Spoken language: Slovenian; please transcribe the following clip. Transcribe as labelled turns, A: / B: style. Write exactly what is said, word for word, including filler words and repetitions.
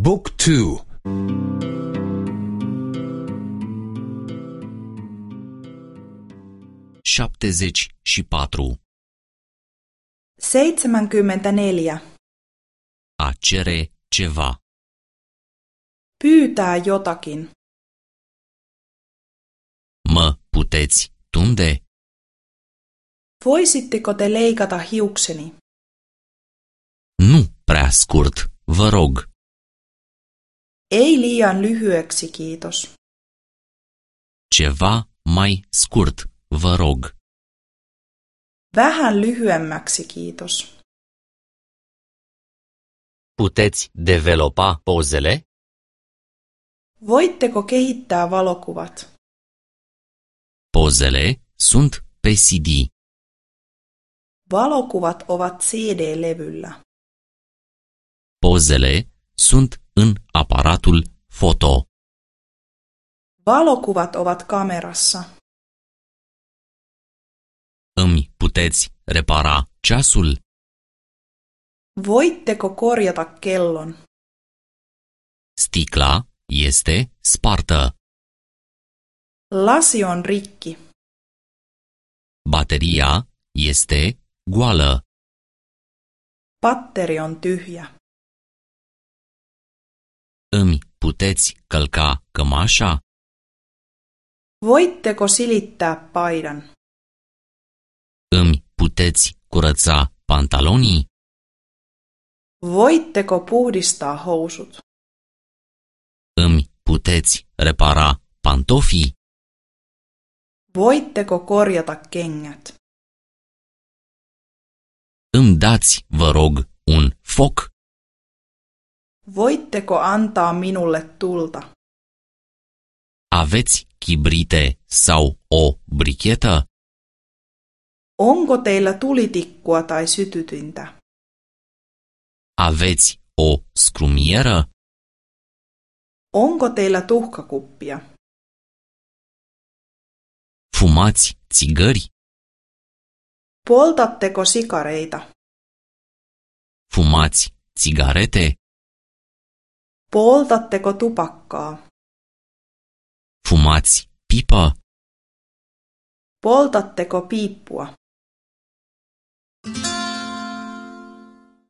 A: Book two.
B: șaptezeci și patru.
C: seitsemänkymmentäneljä.
B: A cere ceva.
C: Pyytää jotakin.
B: Mă puteți tunde?
C: Voisitteko te leikata hiukseni?
B: Nu prea scurt, vă rog.
C: Ei liian lyhyeksi, kiitos.
B: Ceva mai scurt, vă rog.
C: Vähän lyhyemmäksi, kiitos.
B: Puteți developa pozele?
C: Voitteko kehittää valokuvat?
B: Pozele sunt pe C D.
C: Valokuvat ovat C D-levyllä.
B: Pozele sunt în aparatul foto.
C: Valokuvat ovat kamerassa.
B: Îmi puteți repara ceasul?
C: Voitteko korjata kellon?
B: Sticla este spartă.
C: Lasi on rikki.
B: Bateria este goală.
C: Patteri on tyhjä.
B: Îmi puteți călca cămașa?
C: Voitteko silittää paidan?
B: Îmi puteți curăța pantalonii?
C: Voitteko puhdistaa housut?
B: Îmi puteți repara pantofii?
C: Voitteko korjata kengät?
B: Îmi dați, vă rog, un foc?
C: Voitteko antaa minulle tulta?
B: Aveți chibrite sau o brichetă?
C: Onko teillä tulitikkua tai sytytintä?
B: Aveți o scrumieră?
C: Onko teillä tuhkakuppia?
B: Fumați țigări?
C: Poltatteko sikareita?
B: Fumați țigarete?
C: Poltatteko tupakkaa?
B: Fumați pipă?
C: Poltatteko piippua?